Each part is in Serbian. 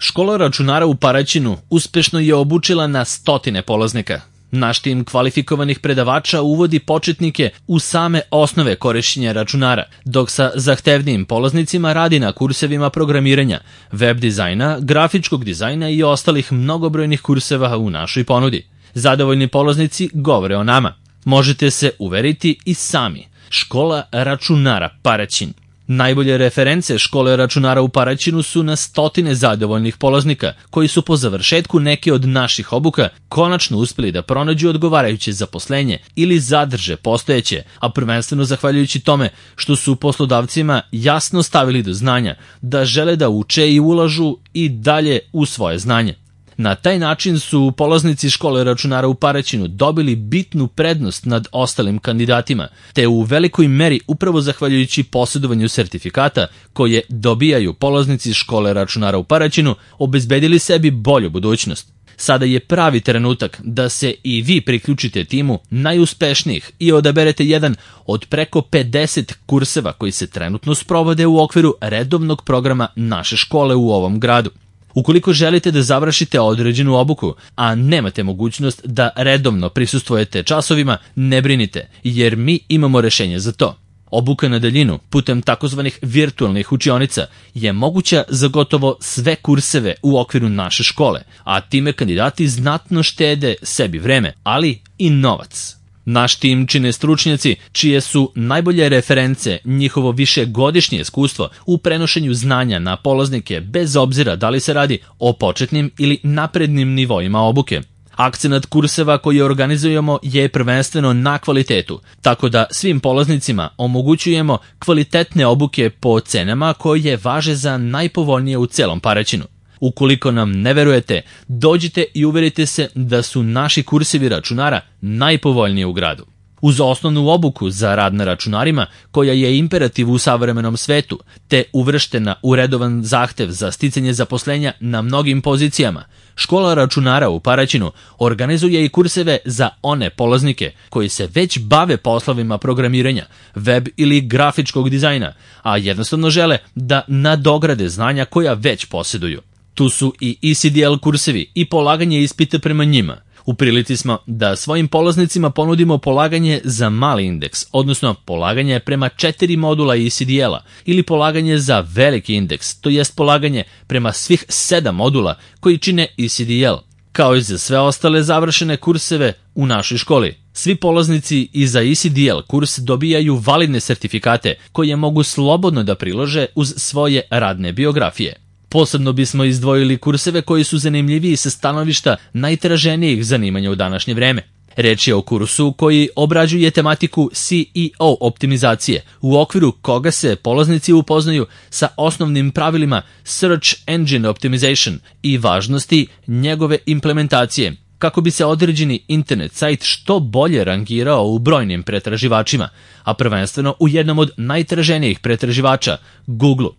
Škola računara u Paraćinu uspešno je obučila na stotine polaznika. Naš tim kvalifikovanih predavača uvodi početnike u same osnove korišćenja računara, dok sa zahtevnijim polaznicima radi na kursevima programiranja, web dizajna, grafičkog dizajna i ostalih mnogobrojnih kurseva u našoj ponudi. Zadovoljni polaznici govore o nama. Možete se uveriti i sami. Škola računara Paraćin. Najbolje reference škole računara u Paraćinu su na stotine zadovoljnih polaznika koji su po završetku neke od naših obuka konačno uspeli da pronađu odgovarajuće zaposlenje ili zadrže postojeće, a prvenstveno zahvaljujući tome što su poslodavcima jasno stavili do znanja da žele da uče i ulažu i dalje u svoje znanje. Na taj način su polaznici škole računara u Paraćinu dobili bitnu prednost nad ostalim kandidatima, te u velikoj meri upravo zahvaljujući posjedovanju sertifikata koje dobijaju polaznici škole računara u Paraćinu obezbedili sebi bolju budućnost. Sada je pravi trenutak da se i vi priključite timu najuspešnijih i odaberete jedan od preko 50 kurseva koji se trenutno sprovode u okviru redovnog programa naše škole u ovom gradu. Ukoliko želite da završite određenu obuku, a nemate mogućnost da redovno prisustvujete časovima, ne brinite, jer mi imamo rešenje za to. Obuka na daljinu putem takozvanih virtualnih učionica je moguća za gotovo sve kurseve u okviru naše škole, a time kandidati znatno štede sebi vreme, ali i novac. Naš tim čine stručnjaci čije su najbolje reference njihovo višegodišnje iskustvo u prenošenju znanja na polaznike bez obzira da li se radi o početnim ili naprednim nivoima obuke. Akcenat kurseva koje organizujemo je prvenstveno na kvalitetu, tako da svim polaznicima omogućujemo kvalitetne obuke po cenama koje važe za najpovoljnije u celom Paraćinu. Ukoliko nam ne verujete, dođite i uverite se da su naši kursevi računara najpovoljniji u gradu. Uz osnovnu obuku za rad na računarima, koja je imperativ u savremenom svetu, te uvrštena u redovan zahtev za sticanje zaposlenja na mnogim pozicijama, škola računara u Paraćinu organizuje i kurseve za one polaznike koji se već bave poslovima programiranja, web ili grafičkog dizajna, a jednostavno žele da nadograde znanja koja već posjeduju. Tu su i ECDL kursevi i polaganje ispita prema njima. U prilici smo da svojim polaznicima ponudimo polaganje za mali indeks, odnosno polaganje prema 4 modula ECDL-a ili polaganje za veliki indeks, to jest polaganje prema svih 7 modula koji čine ECDL, kao i za sve ostale završene kurseve u našoj školi. Svi polaznici i za ECDL kurs dobijaju validne sertifikate koje mogu slobodno da prilože uz svoje radne biografije. Posebno bismo izdvojili kurseve koji su zanimljiviji sa stanovišta najtraženijih zanimanja u današnje vreme. Reč je o kursu koji obrađuje tematiku CEO optimizacije, u okviru koga se polaznici upoznaju sa osnovnim pravilima Search Engine Optimization i važnosti njegove implementacije, kako bi se određeni internet sajt što bolje rangirao u brojnim pretraživačima, a prvenstveno u jednom od najtraženijih pretraživača, Google.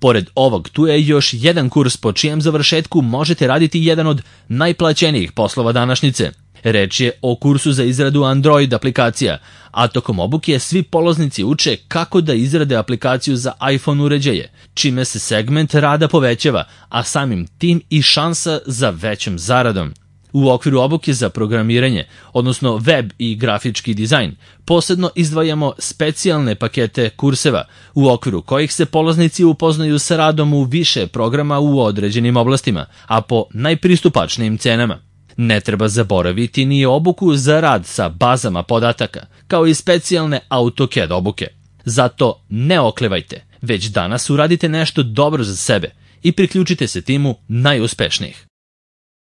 Pored ovog, tu je još jedan kurs po čijem završetku možete raditi jedan od najplaćenijih poslova današnjice. Reč je o kursu za izradu Android aplikacija, a tokom obuke svi polaznici uče kako da izrade aplikaciju za iPhone uređaje, čime se segment rada povećava, a samim tim i šansa za većom zaradom. U okviru obuke za programiranje, odnosno web i grafički dizajn, posebno izdvajamo specijalne pakete kurseva, u okviru kojih se polaznici upoznaju sa radom u više programa u određenim oblastima, a po najpristupačnijim cenama. Ne treba zaboraviti ni obuku za rad sa bazama podataka, kao i specijalne AutoCAD obuke. Zato ne oklevajte, već danas uradite nešto dobro za sebe i priključite se timu najuspešnijih.